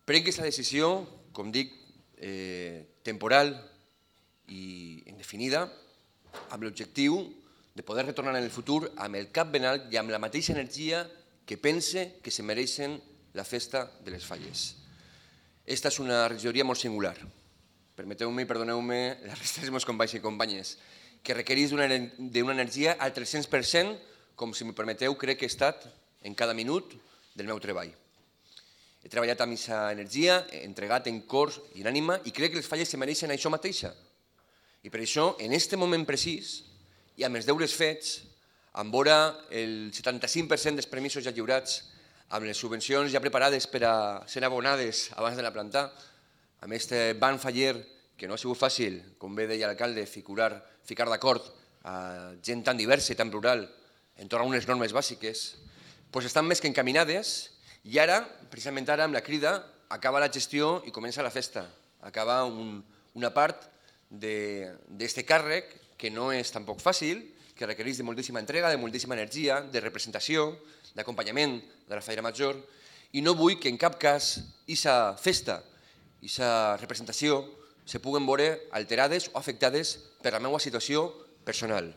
Prenc aquesta decisió, com dic, temporal i indefinida, amb l'objectiu de poder retornar en el futur amb el cap ben alt i amb la mateixa energia que pense que se mereixen la festa de les Falles. Esta és una regidoria molt singular. Permeteu-me i perdoneu-me la resta dels meus companys i companyes, que requereix d'una energia al 300%, com si m'ho permeteu, crec que he estat en cada minut del meu treball. He treballat amb aquesta energia, he entregat en cor i en ànima, i crec que les Falles se mereixen això mateixa. I per això, en aquest moment precís, i amb els deures fets, amb vora el 75% dels permisos ja lliurats, amb les subvencions ja preparades per a ser abonades abans de la plantar, amb aquest banc faller que no ha sigut fàcil, com bé deia l'alcalde, ficar d'acord a gent tan diversa i tan plural entorn a unes normes bàsiques, doncs estan més que encaminades i ara, precisament ara, amb la crida, acaba la gestió i comença la festa. Acaba una part d'aquest càrrec que no és tampoc fàcil, que requereix de moltíssima entrega, de moltíssima energia, de representació, d'acompanyament de la Falla Major, i no vull que en cap cas aquesta festa, aquesta representació, se puguen veure alterades o afectades per la meva situació personal.